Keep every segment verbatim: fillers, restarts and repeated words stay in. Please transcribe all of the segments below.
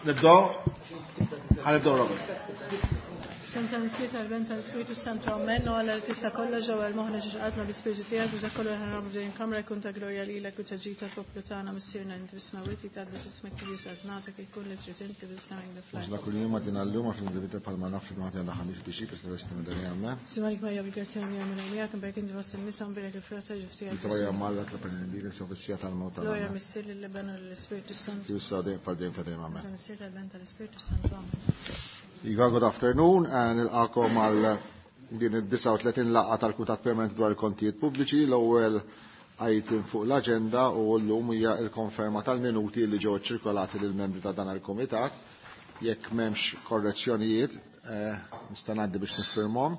Nibdew? Ħa nibdew, Robert. Santa Missier tal-Ben tal-Spiritu Santo, Amen. U Alla li tista' kollox ġewwa moħħna ġiex qalbna bi-Spiritu tiegħek biex dak kollu li ħa nagħmlu f'din il-kamra jkun ta' glorja lilek u ta' ġid tal-poplu tagħna. Missierna inti fis-smewwiet, jitqaddes ismek, tiġi saltnatek, ikun li trid inti fis-sema kif fl-art. Ħobżna kuljum agħtina llum, aħfir dnubietna bħalma naħfru aħna lil min għandu xi dnub. Amen. Sliem għalik Marija, bil-grazzja l-Mulej miegħek, imbierka inti fost in-nisa, mbierek il-frott tal-ġuf tiegħek. Santa Marija Omm Alla, itlob għalina midinbin, issa u fis-siegħa tal-mewt tagħna. Glorja Missier lill-Iben u lill-Ispirtu Santu. Kif issa dejjem bħal dejjem ta' dejjem. Amen. Santa Missier tal-Ben tal-Ispirtu Santu. Amen. Iva, good afternoon, eh, nilqakom għal din id-disgħa u tletin laqgħa tal-Kumitat Permanenti dwar il-Kontijiet Pubbliċi. L-ewwel item fuq l-aġenda u llum hija l-konferma tal-minuti li ġew ċirkolati lill-membri ta' dan il-Kumitat. Jekk m'hemmx korrezzjonijiet, eh, nista' ngħaddi biex niffirmhom.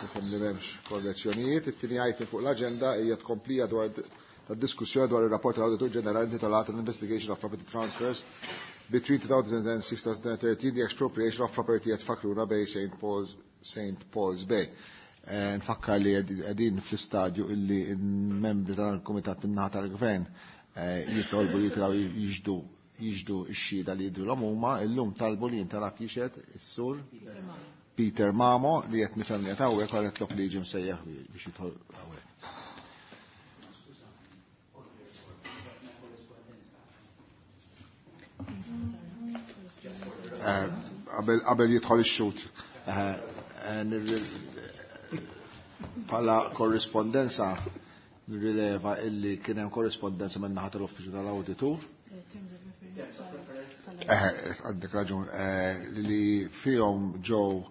Nifhem li m'hemmx korrezzjonijiet. It-tieni item fuq l-aġenda hija tkomplija dwar tad-diskussjoni dwar ir-rapport tal-Awditur Ġenerali intitolat Investigation of Property Transfers between two thousand six and twenty thirteen, the expropriation of property at Fekruna Bay, Saint Paul's, Saint Paul's Bay. Eh, nfakkar li qegħdin fl-istadju illi membri tal-Kumitat in-naħa tal-Gvern eh, jitolbu jitilgħu jixhdu jixhdu x-xhieda li jidhru huma. Illum talbu li jintalab jixhed is-sur Peter Mamo, li qed nifhem li qed hawnhekk, għal tlok li jiġi msejjaħ biex jidħol hawnhekk. Eh, qabel jidħol ix-xhud. Bħala korrispondenza nirrileva illi kien hemm korrispondenza minn naħa tal-Uffiċċju tal-Awditur. Għandek raġun, li fihom ġew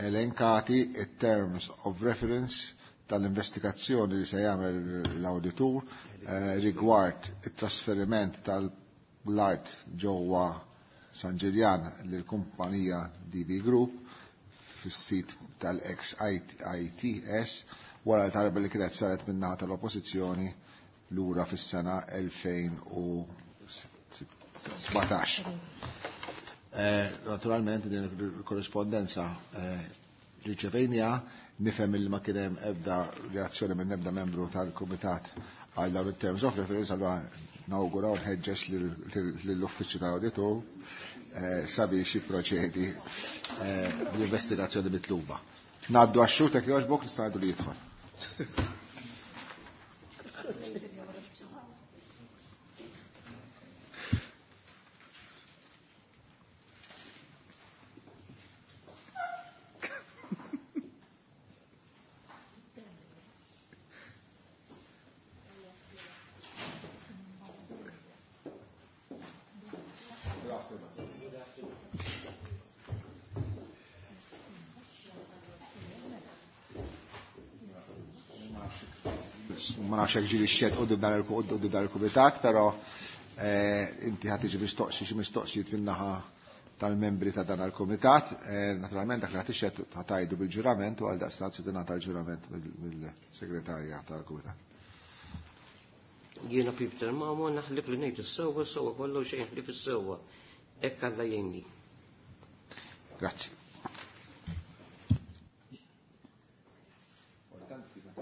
elenkati it-terms of reference tal-investigazzjoni li se jagħmel l-awditur rigward it-trasferiment tal-art ġewwa San Ġiljan lill-kumpanija D B Group fis-sit tal-ex I T S wara l-talba li kienet saret min-naħa tal-Oppożizzjoni lura fis-sena elfejn u sbatax. Naturalment din il-korrispondenza riċevejnieha, nifhem li ma kien hemm ebda reazzjoni minn ebda membru tal-Kumitat għal dawn it-terms of reference, allura nawgura u nħeġġeġ lill-Uffiċċju tal-Awditur sabiex jipproċedi bl-investigazzjoni mitluba. Ngħaddu għax-xhud, jekk jogħġbok, nista' ngħidu li jidħol. Ma nafx hekk ġieli xhedt quddiem dan il-kumitat, però inti ħa tiġi mistoqsi xi mistoqsijiet min-naħa tal-membri ta' dan il-kumitat. Naturalment dak li ħa tixhed ħa tgħidu bil-ġurament u għaldaqstant se tingħata l-ġurament mill-segretarja tal-kumitat. Jiena Peter Mamo, naħlef li ngħid is-sewwa, sewwa kollu, xejn ħlief is-sewwa. Hekk Alla jgħinni. Grazzi.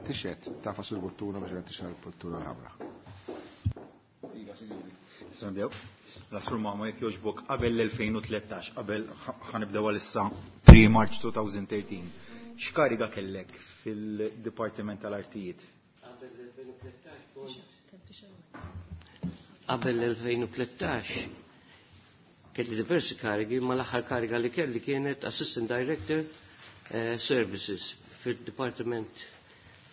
Tixhed, tagħfas il-buttuna biex qed tixgħel il-buttuna l-ħamra. Nibdew. Sur Mamo, jekk jogħġbok, qabel l-elfejn u tlettax, qabel ħa nibdew għalissa three March twenty thirteen, x'kariga kellek fil-Dipartiment tal-Artijiet? Qabel l-elfejn u tlettax kelli diversi karigi, ma l-aħħar kariga li kelli kienet Assistant Director eh, Services fil-Department,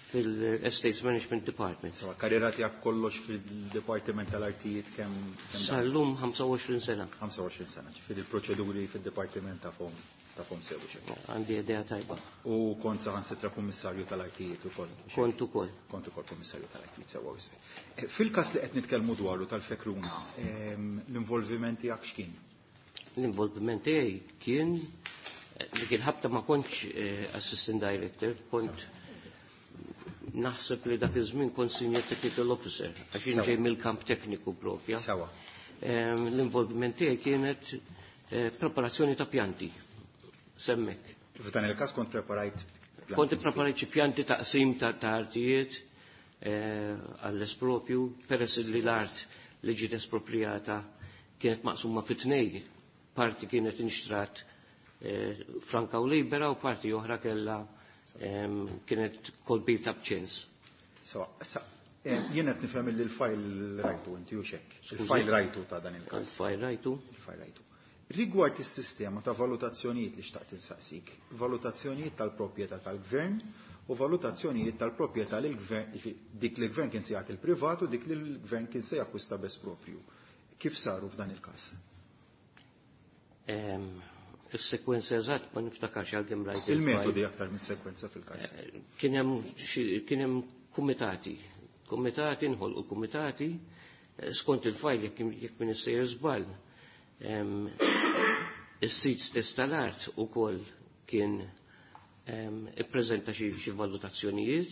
fil-Estates Management Department. Sewa, karriera tiegħek kollox fil-Dipartiment tal-Artijiet kemm kemm Sal-lum ħamsa u għoxrin sena. ħamsa u għoxrin sena, ġifieri il-proċeduri fil-Dipartiment tafhom tafhom sew xejn. Għandi idea tajba. U kont saħansitra kummissarju tal-artijiet ukoll. Kont ukoll. Kont ukoll kummissarju tal-artijiet, sewwa wisq. Eh, Fil-każ li qed nitkellmu dwaru tal-Fekruna, ehm, l-involviment tiegħek x'kien? L-involviment tiegħi kien eh, dik il-ħabta ma kontx eh, assistant director, kont naħseb li dak iż-żmien kont senior technical officer, għax jien ġej mill-kamp tekniku propja. Sewa. Ehm, L-involviment tiegħi kienet eh, preparazzjoni ta' pjanti. Semmek. F'dan il-każ kont preparajt Kont preparajt xi pjanti taqsim ta' ta' artijiet eh, għall-espropju, peress li l-art li ġiet esproprijata kienet maqsuma fi tnej. Parti kienet inxtrat eh, franka u libera u parti oħra kellha kienet kolbita b'ċens. So, jien qed nifhem li l-fajl rajtu inti u xekk. Il-fajl rajtu ta' dan il-każ. Il-fajl rajtu. Il-fajl rajtu. Rigward is-sistema ta' valutazzjonijiet li xtaqt insaqsik, valutazzjonijiet tal-proprjetà tal-gvern u valutazzjonijiet tal-proprjetà li l-gvern, dik li l-gvern kien se jagħti l-privat u dik li l-gvern kien se jakkwista bes propju. Kif saru f'dan il-każ? Is-sekwenza eżatt ma niftakarx għalkemm rajt. Il-metodi aktar minn sekwenza fil-każ. Kien hemm kien hemm kumitati, kumitati nħolqu kumitati skont il-fajl jekk jekk min issejjer żball. Is-sit stess tal-art ukoll kien ippreżenta xi valutazzjonijiet.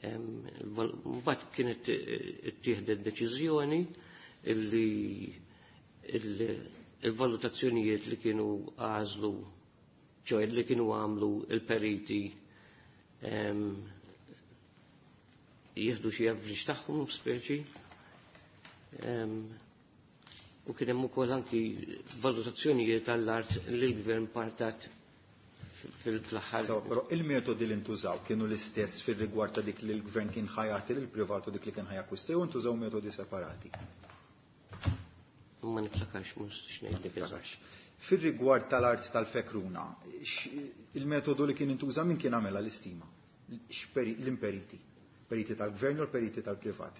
Mbagħad kienet ittieħdet deċiżjoni illi il-valutazzjonijiet li kienu għażlu, ċoħe li kienu għamlu il-periti jieħdu xi average tagħhom speċi. U kien hemm ukoll anki valutazzjonijiet tal-art li l-gvern partat fil-aħħar. So, però il-metodi li ntużaw kienu l-istess fir-rigward ta' dik li l-gvern kien ħajati lil privat u dik li kien ħajakkwista jew ntużaw metodi separati? Ma niftakarx, ma nistax ngħidlek eżatt. Fir-rigward tal-art tal-Fekruna, il-metodu li kien intuża min kien għamela l-istima? L-imperiti? Periti tal-gvern u l-periti tal-privat?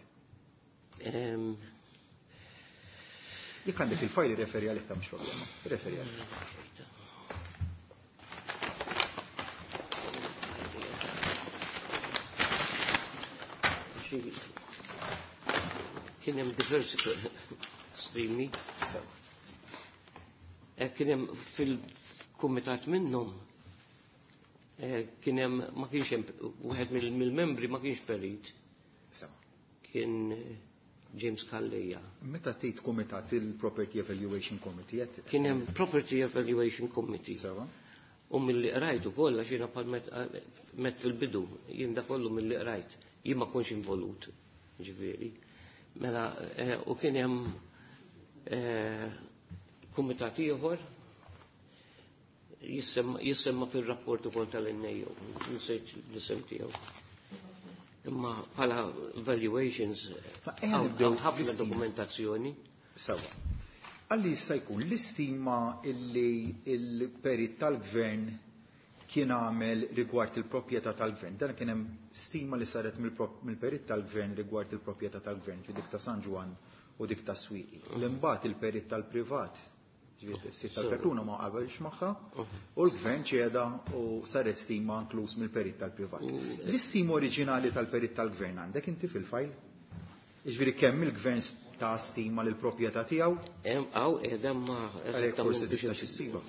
Jekk għandek il-fajl referi għalih ta' mhux problema. Referi għalih. Kien hemm diversi streami. Kien hemm fil-kumitat minnhom kien hemm ma kienx hemm wieħed mill-membri ma kienx perit. Kien James Calleja. Meta tgħid kumitat il-Property Evaluation Committee qed Kien hemm Property Evaluation Committee. Sewa. U milli qrajt ukoll għax jiena bħal met fil-bidu, jien da kollu milli qrajt, jien ma kontx involut, ġifieri. Mela u kien hemm kumitat ieħor jissemma fir-rapport ukoll tal-N A O, nsejt l-isem tiegħu. Imma bħala valuations ħafna dokumentazzjoni. Sewa. Għalli jista' jkun l-istima illi il-perit tal-gvern kien għamel rigward il-proprjetà tal-gvern. Dan kien hemm stima li saret mill-perit tal-gvern rigward il-proprjetà tal-gvern, ġi dik ta' San Ġwann u dik ta' Swieqi. L-imbagħad il-perit tal-privat, ġifieri s-sit tal-Fekruna ma qabelx magħha, u l-gvern ċeda u saret stima inkluż mill-perit tal-privat. L-istima oriġinali tal-perit tal-gvern għandek inti fil-fajl? Jiġifieri kemm il-gvern ta' stima lill proprjetà tiegħu? Hemm hawn qiegħda ma Għalhekk forsi tista' issibha.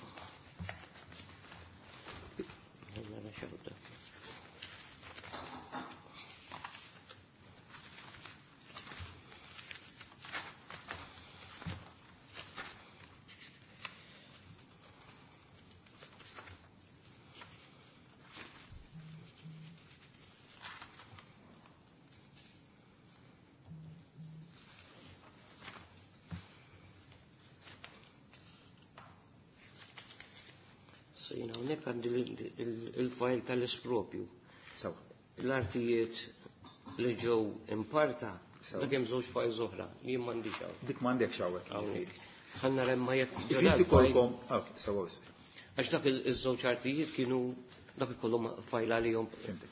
Jina hawnhekk għandi il-fajl tal-espropju. Sewa. L-artijiet li ġew imparta, dak hemm żewġ fajl oħra, jien m'għandix hawn. Dik m'għandekx hawnhekk. Hawnhekk. Ħa nara imma jekk Ġifieri ġew ikollkom, ok, sewa wisq. Għax dak iż-żewġ artijiet kienu dak ikollhom fajl għalihom. Fimtek.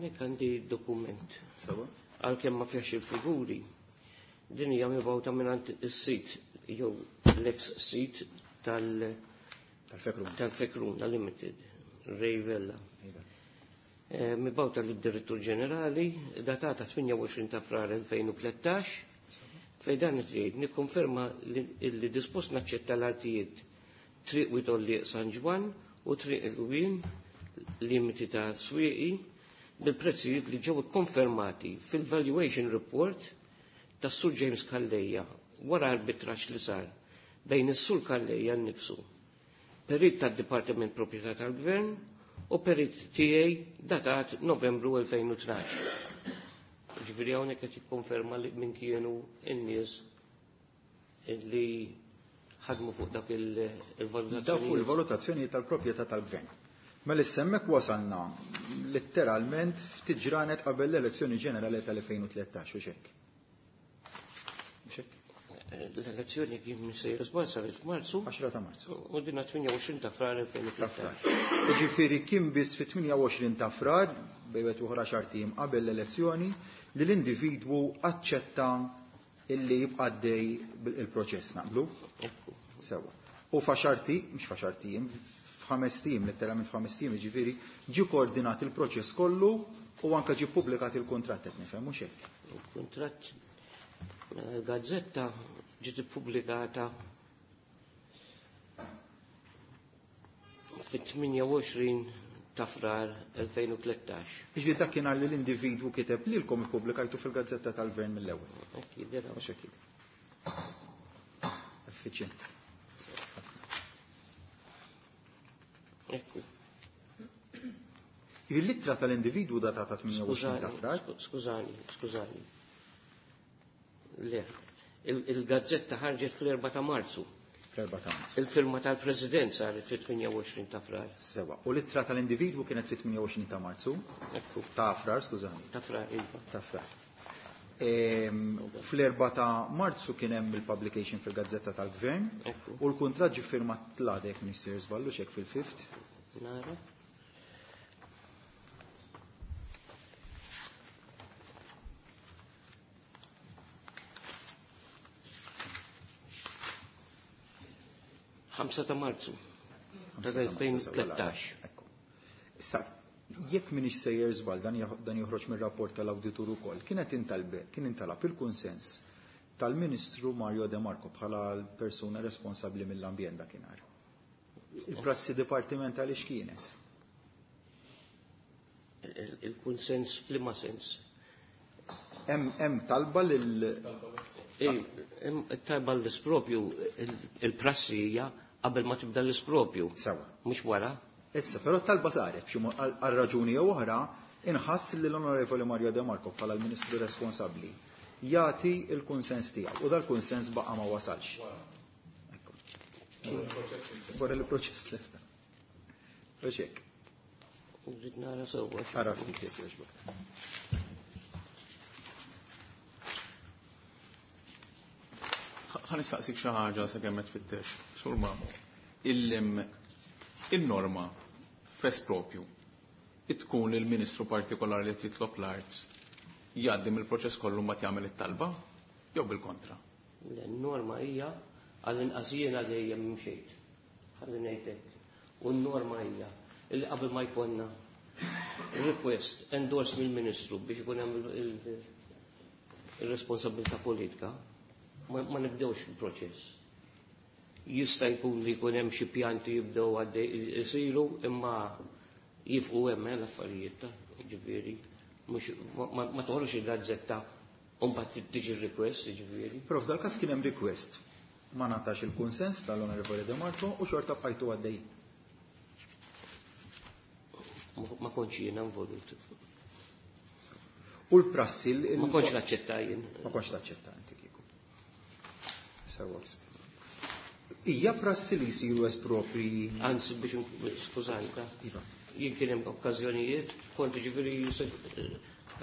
Hawnhekk għandi dokument. Sewa. Għalkemm ma fiex il-figuri. Din hija mibgħuta mingħand is-sit jew l-ex sit tal- Tal-Fekruna. Tal-Fekruna Limited, Ray Vella. Eh, Mibgħuta lid-Direttur Ġenerali, datata tmienja u għoxrin ta' Frar elfejn u tlettax, fejn dan tgħid nikkonferma li dispost naċċetta l-artijiet Triq Wied Għollieq San Ġwann u Triq il-Gwien limiti ta' Swieqi bil-prezzijiet li ġew ikkonfermati fil-valuation report tas Sur James Calleja wara arbitraġġ li sar bejn is-Sur Calleja nnifsu, perit tad-Dipartiment Proprjetà tal-Gvern u perit tiegħi datat Novembru elfejn u tnax. Ġifieri hawnhekk qed jikkonferma li min kienu n-nies li ħadmu fuq dak il-valutazzjoni. Dak fuq il-valutazzjoni tal-proprjetà tal-Gvern. Mela issa hemmhekk wasalna letteralment ftit ġranet qabel l-elezzjoni ġenerali tal-elfejn u tlettax, u xek. Xek? L-elezzjoni kien sejjer żball saret f'Marzu. Għaxra ta' Marzu. U dinna tmienja u għoxrin ta' Frar elfejn u tlettax. Ġifieri kien biss fit-tmienja u għoxrin ta' Frar, bejwet uħra xahar ijiem qabel l-elezzjoni, li l-individwu aċċetta illi jibqa' għaddej il-proċess, naqblu? Ekku. Sewa. U f'għaxart, mhux f'għaxart ijiem, f'ħames ijiem, letteralment f'ħames ijiem, ġifieri, ġie koordinat il-proċess kollu u anke ġie ppubblikat il-kuntratt, qed nifhem, mhux hekk? Il-kuntratt, il-gazzetta ġiet ippubblikata fit-tmienja u għoxrin ta' Frar elfejn u tlettax. Ġifieri dak kien li l-individwu kiteb lilkom ippubblikajtu fil-gazzetta tal-Gvern mill-ewwel. Hekk jidher. Mhux hekk jidher. Effiċjenti. Ekku. Il-littra tal-individwu datata tmienja u għoxrin ta' Frar? Skużani, skużani. Le, il-gazzetta ħarġet fl-erba ta' Marzu. Fl-erba ta' Marzu. Il-firma tal-President saret fit-tmienja u għoxrin ta' Frar. Sewa. U l-ittra tal-individwu kienet fit-tmienja u għoxrin ta' Marzu? Ekku. Ta' Frar, skużani. Ta' Frar, iva. Ta' Frar. Ehm, fl-erba ta' Marzu kien hemm il-publication fil-Gazzetta tal-Gvern. Ekku. U l-kuntratt ġie firmat l-għadek Minister Żballu xek fil-fifth. Nara. Ħamsa ta' Marzu tal-elfejn u tlettax. Issa, jekk minix sejjer żball, dan jaħ-, dan joħroġ mir-rapport tal-awditur ukoll, kienet intalbe, kien intalab il-kunsens tal-Ministru Mario De Marco bħala l-persuna responsabbli mill-ambjent dakinhar. Il-prassi dipartimentali x'kienet? Il-kunsens f'liema sens? Hemm, hemm talba lil Hemm talba l-ispropju, il-prassi hija qabel ma tibda l-ispropju. Sewa. Mhux wara. Issa, però talba saret b'xi mod għal raġuni jew oħra, inħass li l-Onorevoli Mario De Marco bħala l-Ministru responsabbli jagħti l-kunsens tiegħu u dal-kunsens baqa' ma wasalx. Ekku. Wara l-proċess lesta. Biex hekk. Rrid nara sewwa. Ara ftit jekk jogħġbok. Ħa nistaqsik xi ħaġa sakemm qed tfittex, Sur Mamo. Il-norma f'espropju tkun il-Ministru partikolari li titlob l-art jgħaddi mill-proċess kollu mbagħad jagħmel it-talba jew bil-kontra? L-norma hija għall-inqas jiena dejjem mxejt. Ħalli ngħidlek. U n-norma hija li qabel ma jkollna request endorsed mill-Ministru biex ikun hemm il-responsabilità politika, ma, ma nibdewx il-proċess. Jista' jkun li jkun hemm xi pjanti jibdew għaddej isiru imma jifqu hemm l-affarijiet ta' ġifieri mhux ma, ma toħroġ il-gazzetta u mbagħad tiġi request, ġifieri. Però f'dal-każ kien hemm request. Ma ngħatax il-kunsens tal-Onorevoli De Marco u xorta bqajtu għaddej. Ma kontx jiena involut. U l-prassi l- Ma kontx naċċetta jien. Ma kontx taċċetta inti kieku. Sewa. Hija prassi li jsiru espropri. Anzi, biex skużani, ta' Iva. Jien kien hemm okkażjonijiet, kont ġifieri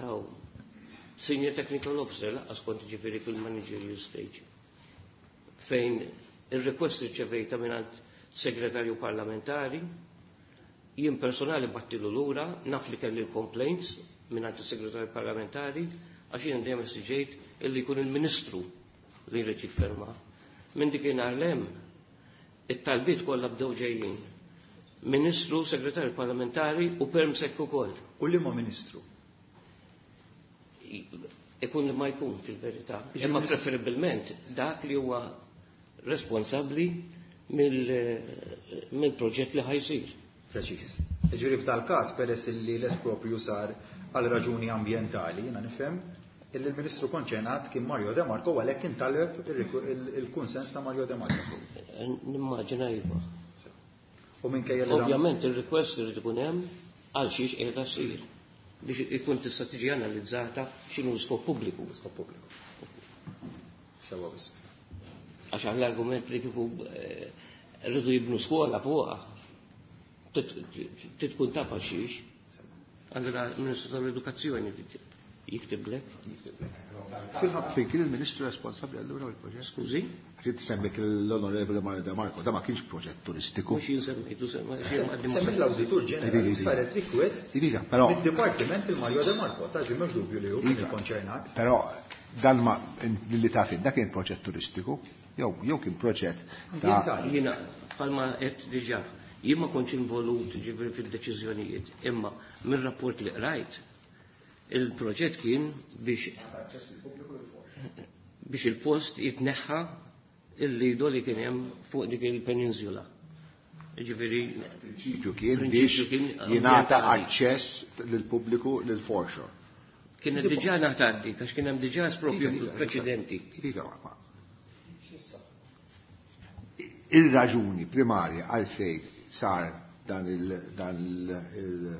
aw, senior technical officer, lanqas kont ġifieri fil-managerial stage. Fejn il-request irċevejta mingħand segretarju parlamentari, jien personali battilu lura, naf li kelli l-complaints, mingħand is-segretarju parlamentari għax jien dejjem esiġejt illi jkun il-Ministru li jrid jifferma. Minn dik l-hemm it-talbiet kollha bdew ġejjin. Ministru, segretarju parlamentari u permsek ukoll. U liema ministru? Ikun li ma jkun fil-verità. Imma preferibilment dak li huwa responsabbli mill-proġett li ħajsir. Preċis. Ġifieri f'dal-każ peress li l-espropju sar għal raġuni ambjentali, jiena nifhem, illi l-Ministru konċernat kien Mario De Marco għalhekk intaleb il-kunsens ta' Mario De Marco. Nimmaġina iva. U minkejja li Ovvjament il-request irid ikun hemm għal xiex qiegħda ssir biex ikun tista' tiġi analizzata x'inhu skop pubbliku. Skop pubbliku. Sewa biss. Għax għall-argument li kieku rridu jibnu skola fuqha titkun taf għal xiex. Allura il-Ministru tal-Edukazzjoni jiktiblek. Fejn kien il-Ministru responsabbli allura il-proġett? Skużi? Trid semmik l-Onorevole Mario De Marco, da ma kienx proġett turistiku. Mhux jien semmejtu semmi l-Awditur Ġenerali saret request Iva, però mid-Dipartiment il-Mario De Marco, ta' ġi m'hemmx dubju li hu kien konċernat. Però dan ma li taf da kien proġett turistiku, jew jew kien proġett ta' jiena bħalma qed diġà jien ma kontx involut ġifieri fid-deċiżjonijiet, imma mir-rapport li qrajt il-proġett kien biex biex il-post jitneħħa il-lido li kien hemm fuq dik il-peninsula. Ġifieri prinċipju kien biex jingħata aċċess lill-pubbliku lil foreshore. Kienet diġà ngħataddi għax kien hemm diġà espropju preċedenti. Ir-raġuni primarja għalfejn sar dan il dan il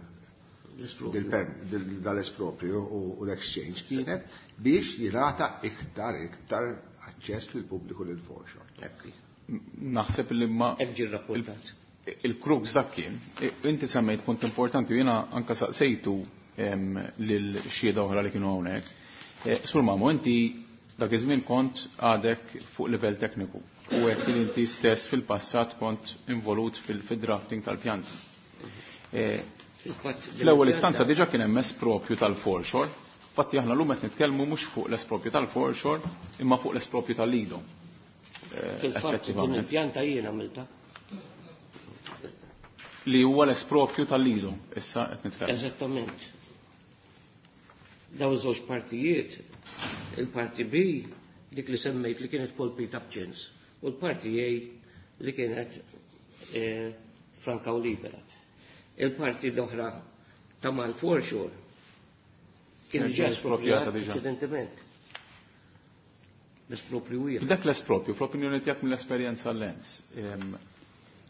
dal-espropju u l-exchange kienet biex jingħata iktar iktar aċċess lil pubbliku lil foreshore. Naħseb li ma hekk ġie rrapportat. Il-crux dak kien, inti semmejt punt importanti u jiena anke saqsejtu lil xhieda oħra li kienu hawnhekk. Sur Mamo, inti dak iż-żmien kont għadek fuq livell tekniku u hekk li inti stess fil-passat kont involut fil-drafting tal-pjanti. Fl-ewwel istanza diġà kien hemm espropju tal-foreshore. Infatti aħna llum qed nitkellmu mhux fuq l-espropju tal-foreshore imma fuq l-espropju tal-lido. Fil-fatt din il-pjanta jien għamilta. Li huwa l-espropju tal-lido, issa qed nitkellmu. Eżattament. Dawn iż-żewġ partijiet, il-parti B dik li semmejt li kienet kolpita b'ċens u l-parti A li kienet franka u libera. Il-parti l-oħra ta' mal-foreshore kien diġà esproprjata preċedentement. L-espropju hija. Dak l-espropju, fl-opinjoni tiegħek mill-esperjenza l-lens,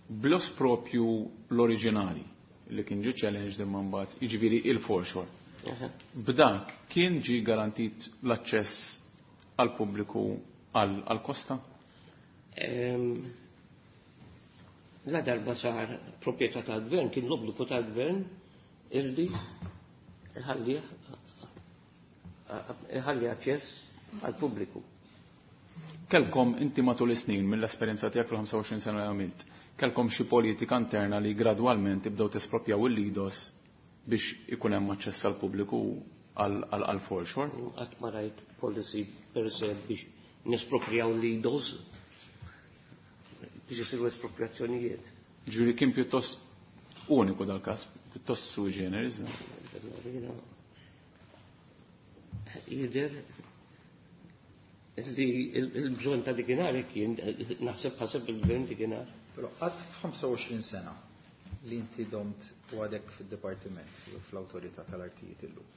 bl-espropju l-oriġinali li kien ġie challenged imma mbagħad, jiġifieri il-foreshore. B'dak kien ġie garantit l-aċċess għal pubbliku għal kosta? La darba sar proprjetà tal-gvern, kien l-obbligu tal-gvern illi ħalli aċċess għal pubbliku. Kelkom inti matul is-snin mill-esperjenza tiegħek fil-ħamsa u għoxrin sena li għamilt, kelkom xi politika interna li gradwalment tibdew tesproprjaw il-lidos biex ikun hemm aċċess għal pubbliku għal foreshore? Qatt ma rajt policy per se biex nesproprjaw lidos biex isiru espropriazzjonijiet. Ġifieri kien pjuttost uniku dal-każ, pjuttost sui generis. Jidher li il-bżonn ta' dikinhar kien naħseb ħaseb il-gvern dikinhar. Però qatt f'ħamsa u għoxrin sena li inti domt u għadek fid-dipartiment fl-awtorità tal-artijiet illum.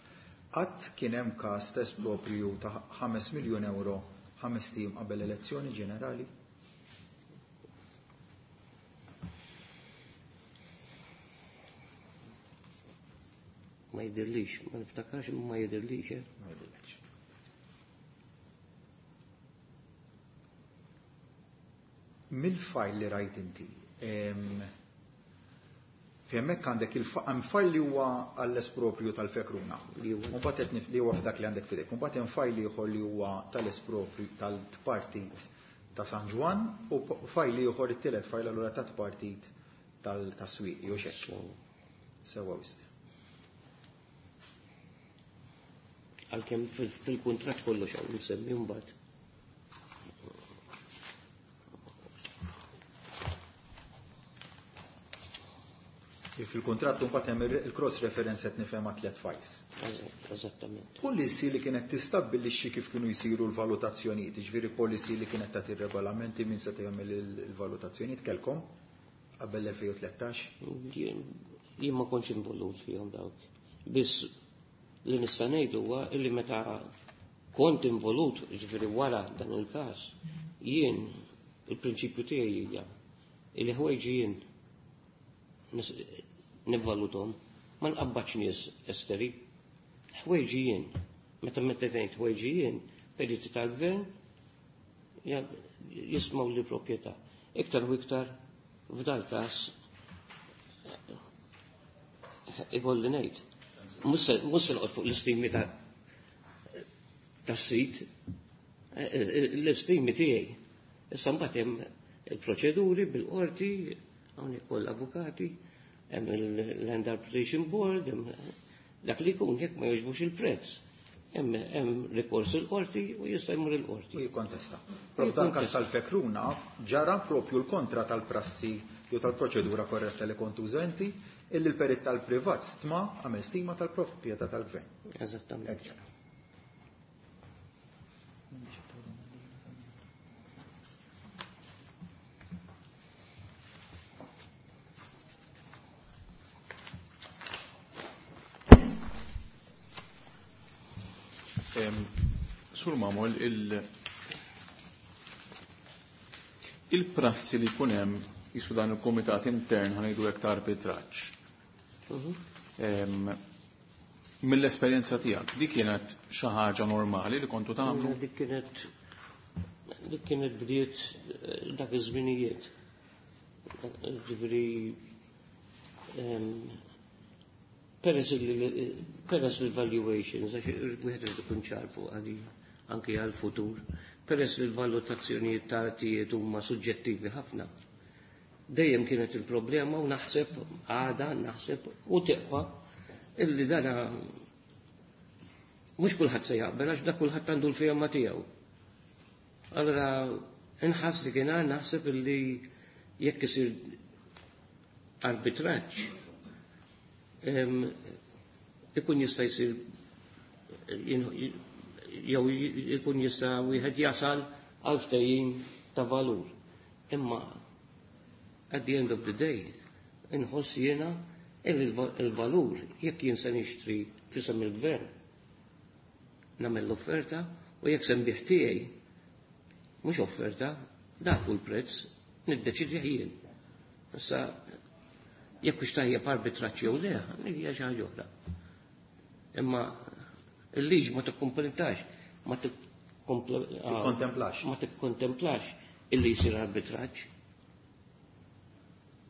Qatt kien hemm każ ta' esproprju ta' ħames miljun euro ħames tim qabel elezzjoni ġenerali? Ma jidirlix, ma niftakarx imma ma jidirlix, eh? Ma jidirlix. Mill-fajl li rajt inti, fi hemmhekk għandek il-hemm fajl li huwa għall-esproprju tal-Fekruna. Mbagħad qed li huwa f'dak li għandek f'idejk. Mbagħad hemm fajl ieħor li huwa tal-esproprju tal-partit ta' San Ġwann u fajl ieħor it-tielet fajl allura tat-partit tal-Swieqi jew x'hekk. Sewwa wisq. Għalkemm fil-kuntratt kollox hawn msemmi mbagħad. Fil-kuntratt mbagħad hemm il-cross reference qed nifhem tliet files. Eżattament. Policy li kienet tistabbilixxi kif kienu jsiru l-valutazzjonijiet, jiġifieri policy li kienet tagħti regolamenti min se jagħmel il-valutazzjonijiet kelkom qabel l-elfejn u tlettax? Jien ma kontx involut fihom dawk. Biss li nista' ngħid huwa li meta kont involut, jiġifieri wara dan il-każ, jien il-prinċipju tiegħi hija li ħwejġi jien nivvalutom, ma nqabbax nies esteri. Ħwejġi jien, meta meta tgħid ħwejġi jien, periti tal-gvern jismaw li proprjetà. Iktar u iktar f'dal każ ikolli ngħid. Mhux se noqgħod fuq l-istimi tas-sit, l-istimi tiegħi. Issa mbagħad hemm il-proċeduri bil-qorti, hawnhekk kollha avukati, hemm il-Land Arbitration Board, hemm dak li jkun jekk ma jogħġbux il-prezz. Hemm rikors il-qorti u jista' jmur il-qorti. U jikkontesta. Propju dan każ tal-Fekruna ġara propju l-kontra tal-prassi jew tal-proċedura korretta li kont uża inti, illi l-perit tal-privat stma għamel stima tal-proprjetà tal-gvern. Eżattament. Hekk ġara. Sur Mamol, il-prassi li jkun hemm jisu dan il-komitat intern ħanejdu hekk ta' arbitraġġ. Mill-esperjenza tiegħek, dik kienet xi ħaġa normali li kontu tagħmlu? Dik kienet dik kienet bdiet dak iż-żminijiet. Ġifieri peress peress il-valuations, għax wieħed irid ikun ċar fuq għadi anke għal-futur, peress li l-valutazzjonijiet ta' artijiet huma suġġettivi ħafna. Dejjem kienet il-problema u naħseb għada, naħseb u teqpa illi dana mhux kulħadd se jaqbel għax dak kulħadd għandu l-firma tiegħu. Allora inħass li kien naħseb illi jekk isir arbitraġġ ikun jista' jsir jew ikun jista' wieħed jasal għal ftehim ta' valur. Imma at the end of the day inħoss jiena il-valur jekk jien se nixtri fisem il-gvern nagħmel l-offerta u jekk se nbih tiegħi mhux offerta dak hu l-prezz niddeċidi jien. Issa jekk hux tajjeb arbitraġġ jew le, hija xi ħaġa oħra. Imma il-liġi ma tikkompletax, ma tikkontemplax. Ma tikkontemplax illi jsir arbitraġġ.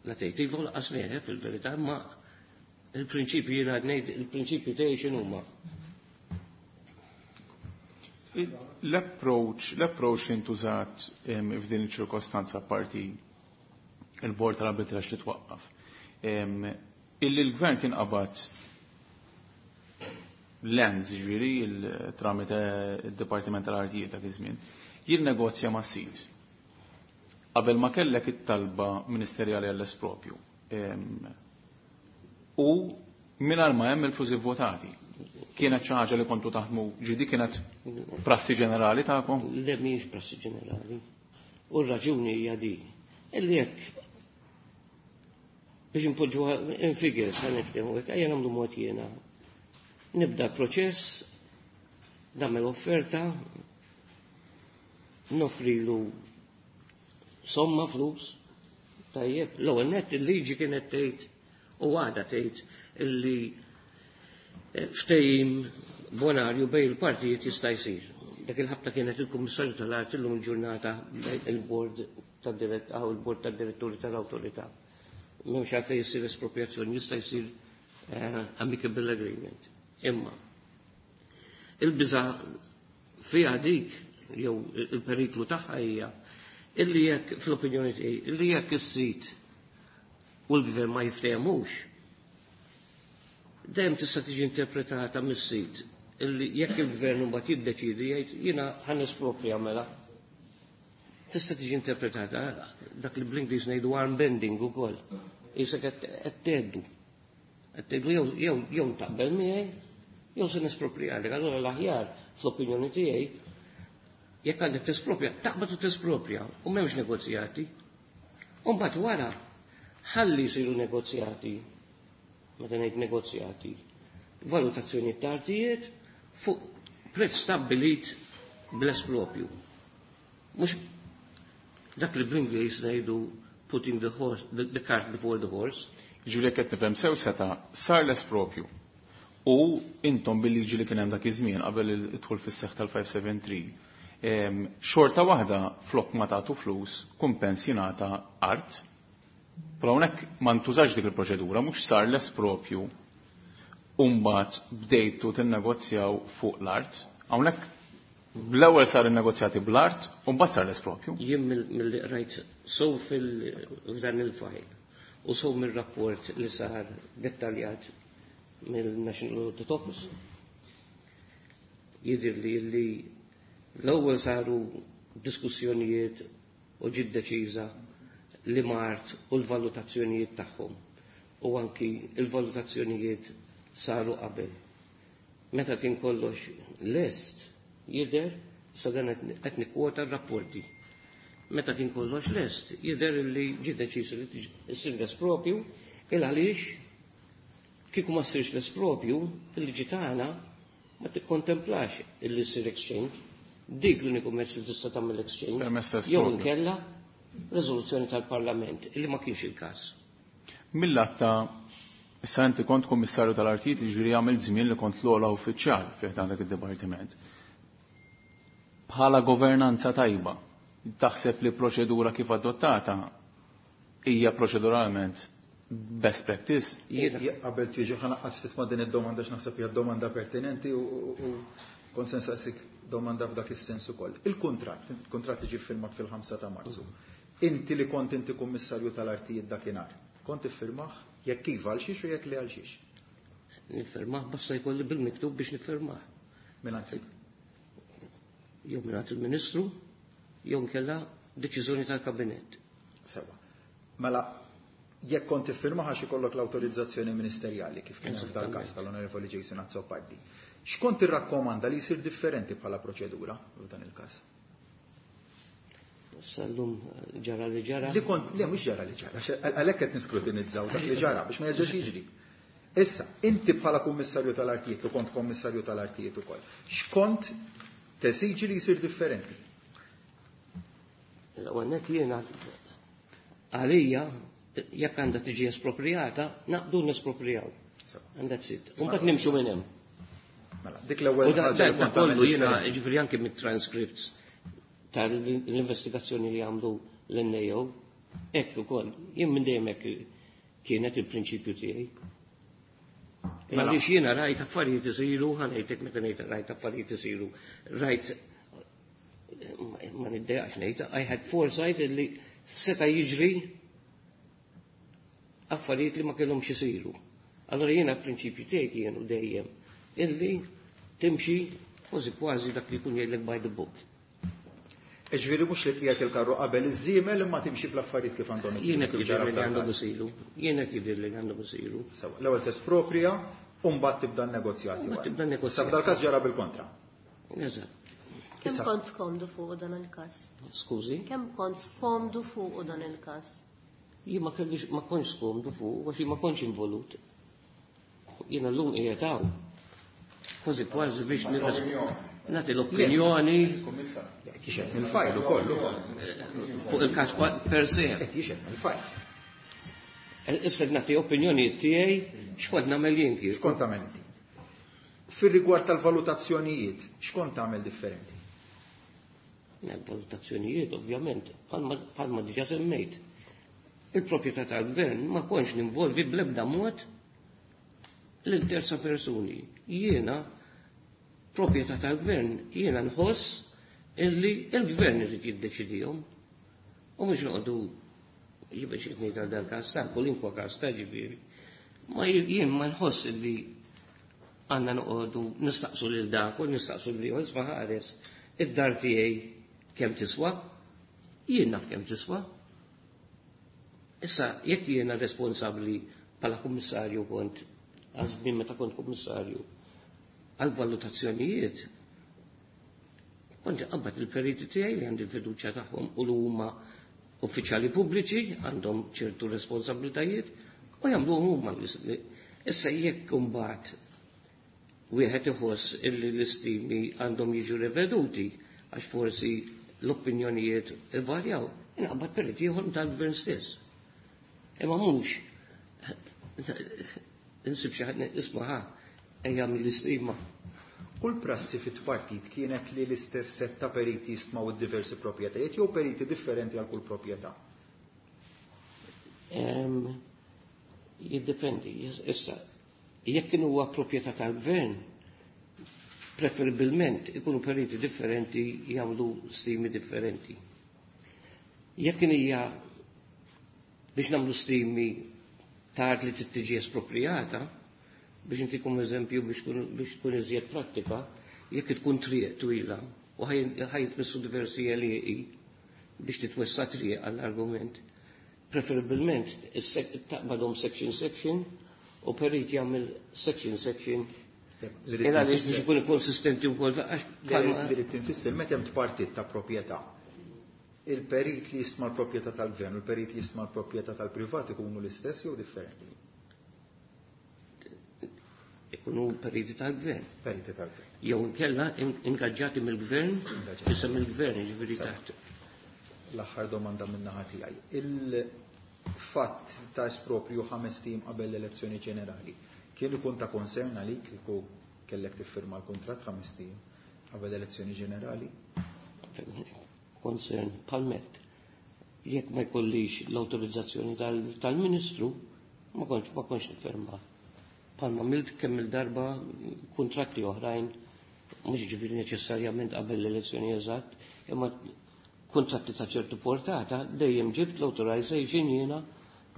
La tgħid iva lanqas le fil-verità, imma il-prinċipji jiena ngħid il-prinċipji tiegħi x'inhuma. L-approach, l-approach li ntużat f'din iċ-ċirkostanza parti il-bord tal-arbitraġġ li twaqqaf. Illi l-gvern kien qabad lands, ġifieri, tramite il-Dipartiment tal-Artijiet dak iż-żmien, jinnegozja ma' sid. Qabel ma kellek it-talba ministerjali għall-espropju. U mingħajr ma hemm il-flus votati. Kienet xi ħaġa li kontu taħdmu ġidi kienet prassi ġenerali tagħkom? Le mhijiex prassi ġenerali. U r-raġuni hija din. Illi jekk biex impoġġuha in figures ħa niftehmu hekk ejja nagħmlu mod jiena. Nibda proċess, nagħmel offerta, nofrilu somma flus, tajjeb, l-ewwel nett il-liġi kienet tgħid u għadha tgħid illi ftehim bonarju bejn il-partijiet jista' jsir. Dak il-ħabta kienet il-Kummissarju tal-Art illum il-ġurnata il-Bord tad-Dirett il-Bord tad-Diretturi tal-Awtorità. M'hemmx għalfejn jsir espropriazzjoni, jista' jsir amicable agreement. Imma il-biża' fiha dik jew il-periklu tagħha hija illi jekk fl-opinjoni tiegħi illi jekk is-sit u l-gvern ma jiftehmux, dejjem tista' tiġi interpretata mis-sit Illi jekk il-gvern mbagħad jiddeċiedi jgħid jiena ħa nesproprja mela. Tista' tiġi interpretata dak li bl-Ingliż ngħidu arm bending ukoll. Isek qed tgħeddu. Qed tgħidu jew jew jew taqbel miegħi jew se nesproprjalek. Allura l-aħjar fl-opinjoni tiegħi jekk għandek tesproprja, taqbad u tesproprja u m'hemmx negozjati. U mbagħad wara ħalli jsiru negozjati, meta ngħid negozjati, valutazzjoni ta' artijiet fuq prezz stabbilit bl-espropju. Mhux dak li bl-Ingliż ngħidu putting the horse, the, the cart before the horse. Ġifieri qed nifhem sew seta' sar l-espropju. U intom bil-liġi li kien hemm dak iż-żmien qabel id-dħul fis-seħħ tal-five seven three, em, xorta waħda flok ma tagħtu flus, kumpens jingħata art. Però hawnhekk ma ntużax dik il-proċedura, mhux sar l-espropju u mbagħad bdejtu tinnegozjaw fuq l-art. Hawnhekk bl-ewwel sar in-negozjati bl-art u mbagħad sar l-espropju. Jien mill-li rajt sew fil-dan il-file u sew mill-rapport li sar dettaljat mill-National Audit Office. Jidir li li l-ewwel saru diskussjonijiet u ġiet deċiża li mart u l-valutazzjonijiet tagħhom u anki il-valutazzjonijiet saru qabel. Meta kien kollox lest jidher, sa dan qed nikkwota r-rapporti. Meta kien kollox lest, jidher li ġie deċiż li issir l-espropju, il għaliex kieku ma ssirx l-espropju, il-liġi tagħna ma tikkontemplax illi ssir exchange. Dik l-uniku mezz li tista' tagħmel exchange. Permezz ta' Jew espropju. inkella riżoluzzjoni tal-Parlament, illi ma kienx il-każ. Mill-lat ta' issa inti kont kummissarju tal-artijiet, ġifieri għamil żmien li kont l-ogħla uffiċjal fih dan dak id-dipartiment. Bħala governanza tajba, taħseb li proċedura kif adottata hija proċeduralment best practice? Jiena Qabel tiġi ħa naqgħod ftit ma' din id-domanda x'naħseb hija domanda pertinenti u u kont se nsaqsik domanda f'dak is-sens ukoll. Il-kuntratt, il-kuntratt li ġie firmat fil-ħamsa ta' Marzu. Inti li kont inti kummissarju tal-artijiet dakinhar, kont iffirmah, jekk iva għal xiex u jekk le għal xiex? Nifirmah basta jkolli bil-miktub biex nifirmah. Mingħand Jew mingħand il-Ministru, jew nkella deċiżjoni tal-Kabinett. Sewa. Mela, jekk kont iffirmah għax ikollok l-awtorizzazzjoni ministerjali kif kien f'dal każ tal-Onorevoli Jason Azzopardi. X'kont irrakkomanda li jsir differenti bħala proċedura f'dan il-każ? Sallum ġara li ġara. Li kont, le mhux ġara li ġara, għax għalhekk qed niskrutinizzaw dak li ġara biex ma jerġax jiġri. Issa, inti bħala kummissarju tal-artijiet, u kont kummissarju tal-artijiet ukoll, x'kont tesiġi li jsir differenti? L-ewwel nett jiena għalija jekk għandha tiġi espropriata, naqdu nesproprijaw. And that's it. U mbagħad nimxu minn hemm. Mela, dik l-ewwel U da ħaġa li da kont tagħmel kollu jiena differenti. Ġifieri anke mit-transcripts tal-investigazzjoni li għamlu l-N A O, hekk ukoll, jien minn dejjem hekk kienet il-prinċipju tiegħi. Mela. Għaliex jiena rajt affarijiet isiru, ħa ngħidlek meta ngħid rajt affarijiet isiru, rajt, ma niddejaqx ngħid, I had foresight li seta' jiġri affarijiet li ma kellhomx isiru. Allora jiena l-prinċipju tiegħi kienu dejjem illi timxi kważi kważi dak li jkun jgħidlek by the book. Ġifieri mhux li qiegħed il-karru qabel iż-żiemel imma timxi bl-affarijiet kif għandhom isiru. Jiena kif kif ġara li f'dal għandhom każ. isiru. Jiena kif li għandhom isiru. Sewa, l-ewwel tesproprija u mbagħad tibda n-negozjati. Mbagħad wara. tibda n-negozjati. Sa f'dal każ ġara bil-kontra. Eżatt. Kemm Issa- kont skomdu fuq dan il-każ? Skużi, Kemm kont skomdu fuq dan il-każ? Jien ma kellix ma kontx skomdu fuq, għax jien ma kontx involut. Jiena llum qiegħed hawn. Kważi kważi biex nirres- nagħti l-opinjoni Qed jixhed mill-fajl ukoll. Fuq il-każ pa- per se. Qed jixhed mill-fajl. Issa nagħti opinjoni tiegħi x'kont nagħmel jien kieku. X'kont tagħmel inti? Fir-rigward tal-valutazzjonijiet, x'kont tagħmel differenti? Valutazzjonijiet, ovvjament, bħalma bħalma diġà semmejt. Il-proprjetà tal-gvern ma kontx ninvolvi bl-ebda mod lil terza persuni. Jiena proprjetà tal-gvern, jiena nħoss illi il-gvern irid jiddeċidihom. U mhux noqogħdu jibqa' xi ngħid għal dan każ ta' kwalinkwa każ ta' ġifieri. Ma jien ma nħoss illi għandna noqogħdu nistaqsu lil dak u nistaqsu lil ieħor isma' ħares id-dar tiegħi kemm tiswa, jien naf kemm tiswa. Issa jekk jiena responsabbli bħala kummissarju kont għażmin meta kont kummissarju għal valutazzjonijiet, kont qabad il-periti tiegħi li għandi l-fiduċja tagħhom u li huma uffiċjali pubbliċi għandhom ċertu responsabbiltajiet u jagħmluhom huma. Issa jekk imbagħad wieħed iħoss illi l-istimi għandhom jiġu riveduti għax forsi l-opinjonijiet ivarjaw, inqabad periti ieħor tal-gvern stess. Imma mhux insib xi ħadd isma' ħa ejja mill-istima. U l-prassi fit-partit kienet li l-istess set ta' periti jistmaw id-diversi proprjetajiet jew periti differenti għal kull proprjetà? Jiddependi, issa, jekk kien huwa proprjetà tal-gvern, preferibilment ikunu periti differenti jagħmlu stimi differenti. Jekk hija biex nagħmlu stimi ta' art li tiġi esproprijata, biex intikom eżempju biex tkun iżjed prattika, jekk tkun triq twila u ħajtmissu diversi għelieqi biex titwessa triq għall-argument, preferibilment taqbadhom section section u perit jagħmel section section. Ela għaliex biex ikun konsistenti wkoll. Li rrid tinfisser meta hemm tpartit ta' proprjetà. Il-perit li jistma l-proprjetà tal-gvern u l-perit li jistma l-proprjetà tal-privat ikunu l-istess jew differenti? Ikunu periti tal-gvern. Periti tal-gvern. Jew inkella ingaġġati mill-gvern, isem il-gvern, jiġifieri taħt. L-aħħar domanda minn naħa tiegħi. Il-fatt ta' esproprju ħames tim qabel l-elezzjoni ġenerali kien ikun ta' concern għalik kieku kellek tiffirma l-kuntratt ħames tim qabel l-elezzjoni ġenerali? Concern palmet. Jekk ma jkollix l-awtorizzazzjoni tal-Ministru, ma kontx ma kontx nifferma. Palma milt kemm il-darba kuntratti oħrajn, mhux ġifieri neċessarjament qabel l-elezzjoni eżatt, imma kuntratti ta' ċertu portata dejjem ġibt l-authorization jiena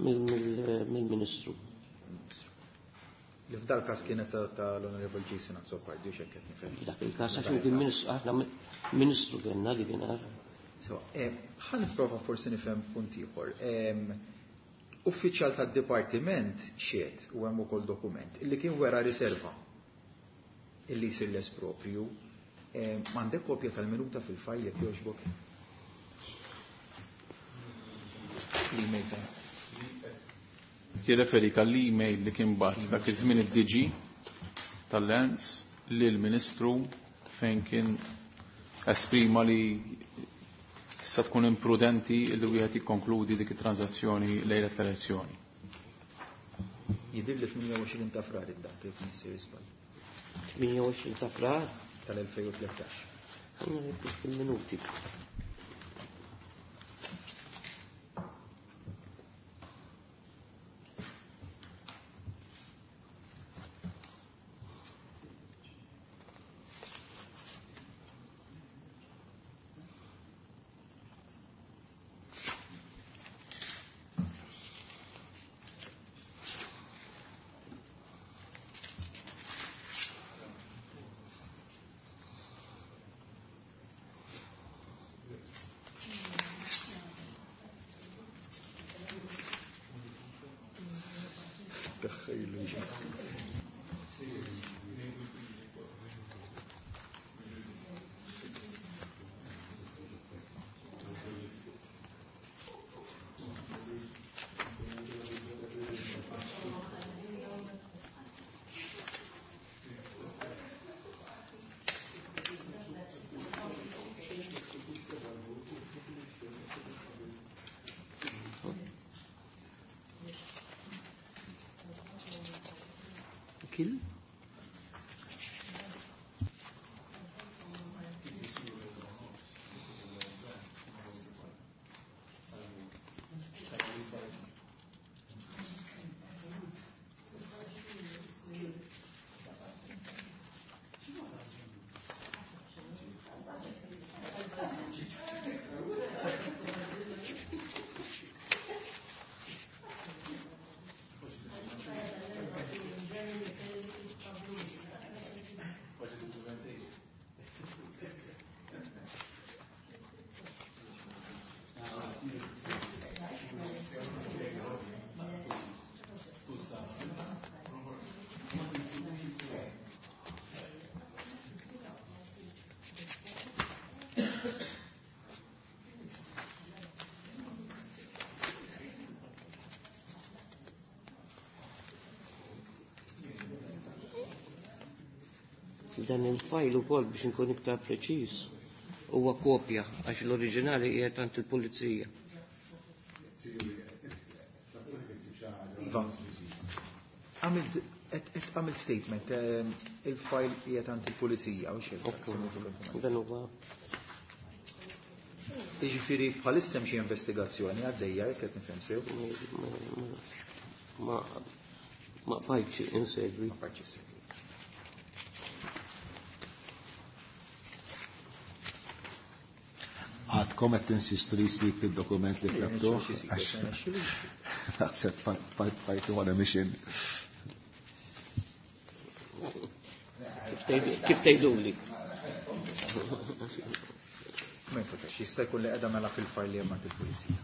mill-Ministru. Li f'dal każ kienet tal-Onorevol Jason Azzopardi, u x'hekk qed nifhem. F'dak il-każ għax kien ministru, aħna ministru kellna li kien għara. So, ħa nipprova forsi nifhem punt ieħor. Uffiċjal tad-dipartiment xiet u hemm ukoll dokument illi kien wera riserva illi jsir l-esproprju. M'għandek kopja tal-minuta fil-fajl jekk jogħġbok? L-email ta' Tirreferi għall-email li kien bat dak iż-żmien id-D G tal-Lands lill-Ministru fejn kien esprima li tista' tkun imprudenti li wieħed jikkonkludi dik it-transazzjoni lejlet l-elezzjoni. Jidhir li tmienja u għoxrin ta' frar id-data jekk nissir żball. tmienja u għoxrin ta' frar? tal-elfejn u tlettax. Għandna minuti. Kill? Dan il-fajl ukoll biex inkun iktar preċiż huwa kopja għax l-oriġinali qiegħed għand il-pulizija. Iva, għamilt għamilt statement, il-fajl qiegħed għand il-pulizija u xejn. Dan huwa Jiġifieri bħalissa hemm xi investigazzjoni għaddejja jekk qed nifhem sew. Ma ma bqajtx insegwi. Ma bqajtx insegwi. Għadkom qed tinsistu li jsib il-dokument li tlabtuh għax naħseb fajtu on a mission. Kif tgħiduli? Ma jinfutax, jista' jkun li qiegħda mela fil-fajl li hemm għand il-pulizija.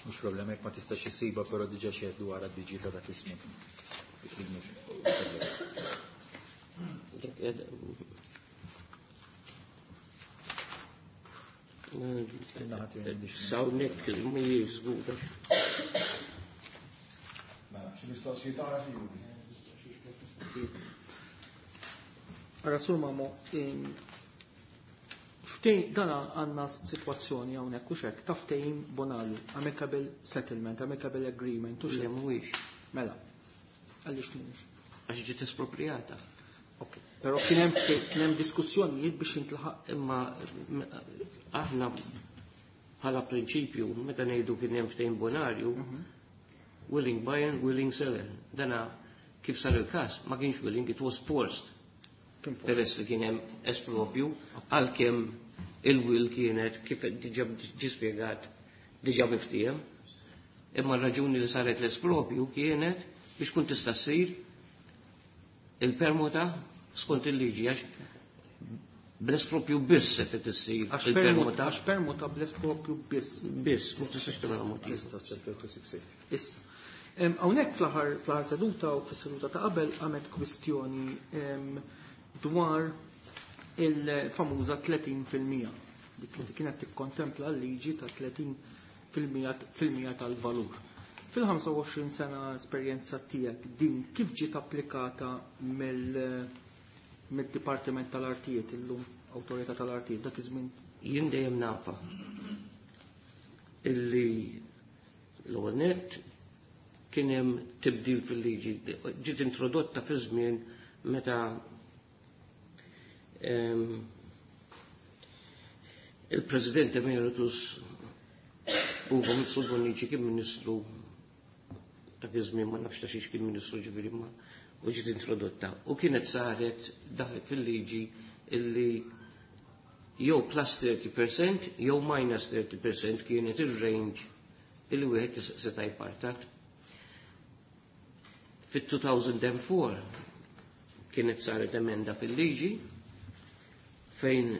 Mhux problema jekk ma tistax issiba, però diġà xehed dwar għad-diġi ta' dak iż-żmien. Sawnek mhijiex żgura. Mela, xi mistoqsijiet oħra xi juri? Ara Sur Mamo, ftehim dan għandna sitwazzjoni hawnhekk u xek ta' ftehim bonarju, amicable settlement, amicable agreement u Le xek. mhuwiex. Mela, għaliex mhuwiex? Għax ġiet espropriata. Ok, però kien hemm kien hemm diskussjonijiet biex intlaħaq. Imma aħna bħala prinċipju meta ngħidu kien hemm ftehim bonarju, willing buyer, willing seller. Dana kif sar il-każ ma kienx willing, it was forced. Peress li kien hemm espropju, għalkemm il-will kienet kif diġà ġi spjegat diġà miftiehem. Imma r-raġuni li saret l-espropju kienet biex kun tista' ssir il-permuta skont il-liġi, għax bl-espropju biss se tissir Għax il-permuta. Għax permuta bl-espropju biss. Biss, mhux tistax tagħmel mod ieħor. Tista' ssir two six eight. Issa. Hawnhekk fl-aħħar fl-aħħar seduta u fis-seduta ta' qabel għamet kwistjoni dwar il-famuża tletin fil-mija. Dik li kienet tikkontempla l-liġi ta' tletin fil-mija fil-mija tal-valur. Fil-ħamsa u għoxrin sena esperjenza tiegħek din kif ġiet applikata mill-, mid-Dipartiment tal-Artijiet illum Awtorità tal-Artijiet dak iż-żmien? Jien dejjem nafa illi l-ewwel nett kien hemm tibdil fil-liġi, ġiet introdotta fi żmien meta ehm, il-President Emeritus Ugo Mifsud Bonnici kien ministru dak iż-żmien, ma nafx ta' xiex kien ministru ġifieri ma u ġiet introdotta. U kienet saret daħlet fil-liġi illi jew plus thirty percent jew minus thirty percent kienet ir-range illi wieħed seta' jpartat. Fit-two thousand and four kienet saret emenda fil-liġi fejn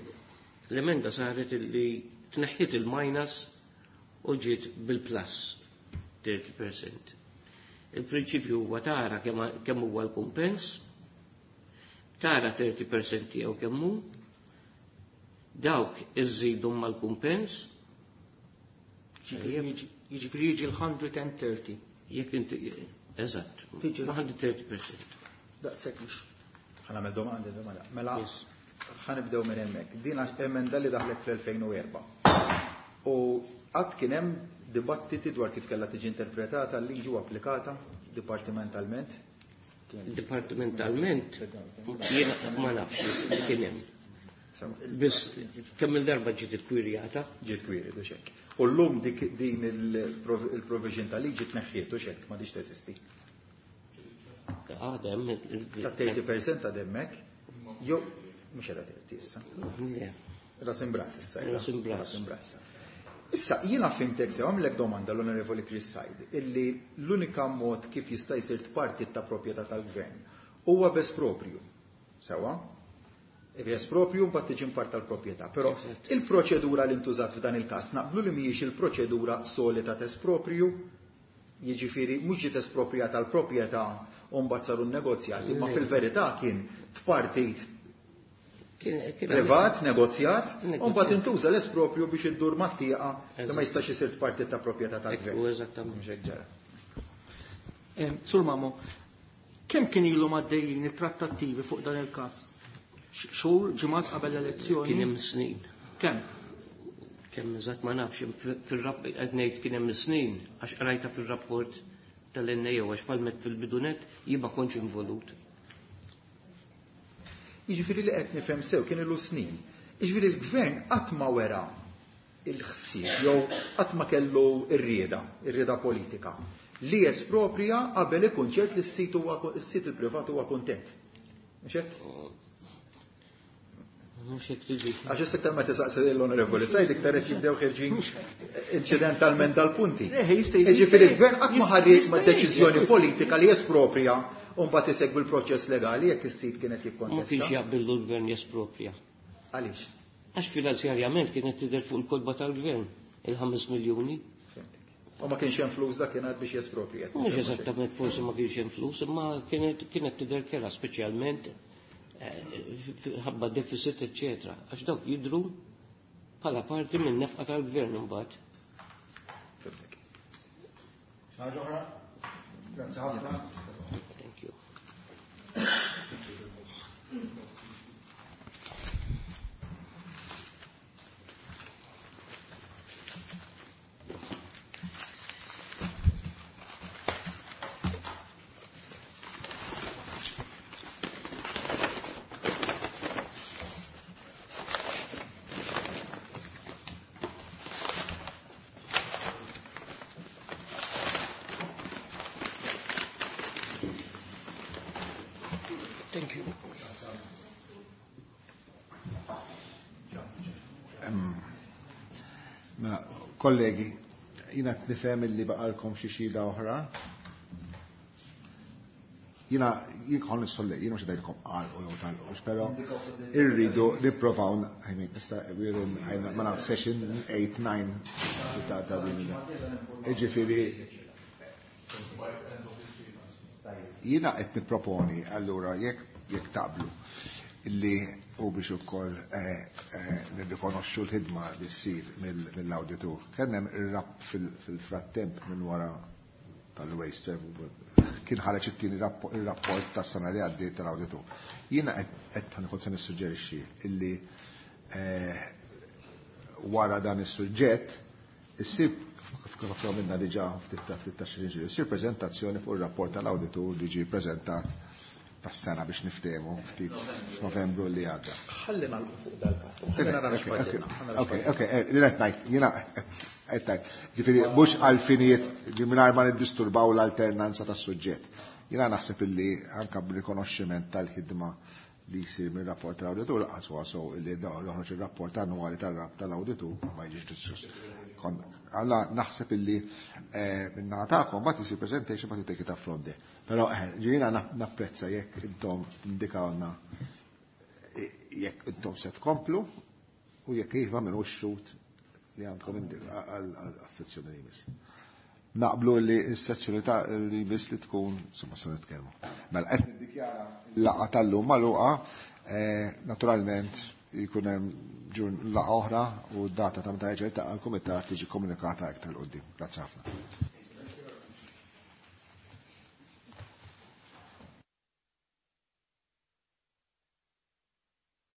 l-emenda saret illi tneħħiet il-minus u ġiet bil-plus thirty percent. Il-prinċipju huwa tara kemm, kemm huwa l-kumpens, tara thirty percent tiegħu kemm hu, dawk iżidu mal-kumpens. Jiġifieri jiġi l-hundred and thirty. Jekk inti, eżatt, Tiġi l- hundred thirty percent. Daqshekk mhux. Ħa nagħmel domanda, domanda. Mela, Yes. ħa nibdew minn hemmhekk. Din emenda li daħlet fl-elfejn u erba'. U qatt kien hemm dibattiti dwar kif kellha tiġi interpretata l-liġi u applikata dipartimentalment? Dipartimentalment jiena ma nafx li kien hemm. Sewa. Biss kemm il-darba ġiet ikkwirjata? Ġiet kwirjata, u xekk. U llum dik din il-prov-, il-provision ta' liġi tneħħiet u xekk, m'għadix teżisti. Għadem. Ta' thirty percent għademmek, jew mhux qiegħda thirty issa. Le. Ras imb'ras issa. Ras imb'ras. Ras imb'ras. Issa, jiena fhimtek sew, għamlek domanda l-Onorevoli Chris Said, illi l-unika mod kif jista' jsir parti ta' proprjetà tal-gvern huwa b'esproprju. Sewwa? B'esproprju mbagħad tiġi part tal-proprjetà. Però il-proċedura li ntużat f'dan il-każ naqblu li mhijiex il-proċedura solita t'esproprju, jiġifieri mhux ġiet esproprjata l-proprjetà u mbagħad saru negozjati, ma fil-verità kien tpartit privat, negozjat, u mbagħad intuża l-esproprju biex iddur mat-tieqa li ma jistax isir tpartit ta' proprjetà tal-gvern. Ekku, eżattament. Mhux hekk ġara. Em, Sur Mamo, kemm kien ilhom għaddejjin it-trattattivi fuq dan il-każ? X- Xhur, ġimgħat qabel l-elezzjoni? Kien hemm snin. Kemm? Kemm eżatt ma nafx, fil-rapp qed ngħid kien hemm snin għax qrajta fir-rapport tal-N A O, għax palmet fil-bidunet jien ma kontx involut. Jiġifieri li qed nifhem sew kien ilu snin. Jiġifieri l-gvern qatt ma wera il-ħsieb jew qatt ma kellu r-rieda, ir-rieda politika li jesproprja qabel ikun ċert li s-sit huwa s-sit il-privat huwa kuntent. Mhux hekk? Mhux hekk tiġi. Għax issa iktar ma tisaqsi l-Onorevoli Said iktar qed jibdew ħerġin inċidentalment dal-punti. Eh, jista' Jiġifieri l-gvern qatt ma jista' ħarriet jista' ma' deċiżjoni politika li jesproprja u mbagħad isegwi l-proċess legali jekk is-sit kienet Ma kienx jikkontesta. jaqbillu l-gvern jesproprja. Għaliex? Għax finanzjarjament kienet tidher fuq il-kolba tal-gvern il-ħames miljuni. Fhimtek. U ma kienx hemm flus dakinhar biex jesproprja. Mhux eżattament, forsi ma kienx hemm flus, imma kienet kienet tidher kera, speċjalment eh, ħabba deficit, eċetera. Għax dawk jidru bħala parti minn nefqa tal-gvern imbagħad. Fhimtek. Ħaġa oħra? Grazzi ħafna. Thank you. Thank you. Mela, kollegi, jiena qed nifhem illi baqalkom xi xhieda oħra. Jiena jien kon nissolli, jiena mhux ngħidilkom qal u jew tal-qux, però irridu nipprovaw, I mean, issa we're in, ma naf, session eight, nine ta' ta' din. Jiġifieri jiena qed nipproponi allura, jekk jekk taqblu, illi u biex ukoll eh, eh, nirrikonoxxu l-ħidma li ssir mill-awditur. Kien hemm ir-rapp fil-frattemp minn wara tal-waste kien ħareġ it-tieni ir-rapport tas-sena li għaddiet tal-awditur. Jiena qed ħankun se nissuġġerixxi illi eh, wara dan is-suġġett issib, kif minna diġà ftit ta' ftit ta' xi issir preżentazzjoni fuq ir-rapport tal-awditur li ġie preżentat tas-sena biex niftehmu ftit f'Novembru li għadda. Ħalli nagħlqu fuq dal-każ. Ħalli nara x'fadilna. Ok, ok, li qed ngħid, jiena qed ngħid, ġifieri mhux għal finijiet li mingħajr ma niddisturbaw l-alternanza tas-suġġett. Jiena naħseb illi anke b'rikonoxximent tal-ħidma li jsir minn rapport tal-awditur laqas huwa so illi joħroġ ir-rapport annwali tal-awditur ma jiġix diskuss. Alla naħseb illi minna tagħkom mbagħad isir presentation, mbagħad take it up from there. Però ġiena napprezza jekk intom indikawna jekk intom se tkomplu u jekk iva minn xut li għandkom għal-sezzjoni li jmiss. Naqblu li s-sezzjoni ta' li jmiss li tkun, insomma, se nitkellmu. Mela qed niddikjara l-laqgħa tal-lum magħluqa, naturalment jkun hemm laqgħa oħra u d-data ta' meta jerġa' jiltaqa' l-kumitat tiġi komunikata iktar 'il quddiem. Grazzi ħafna.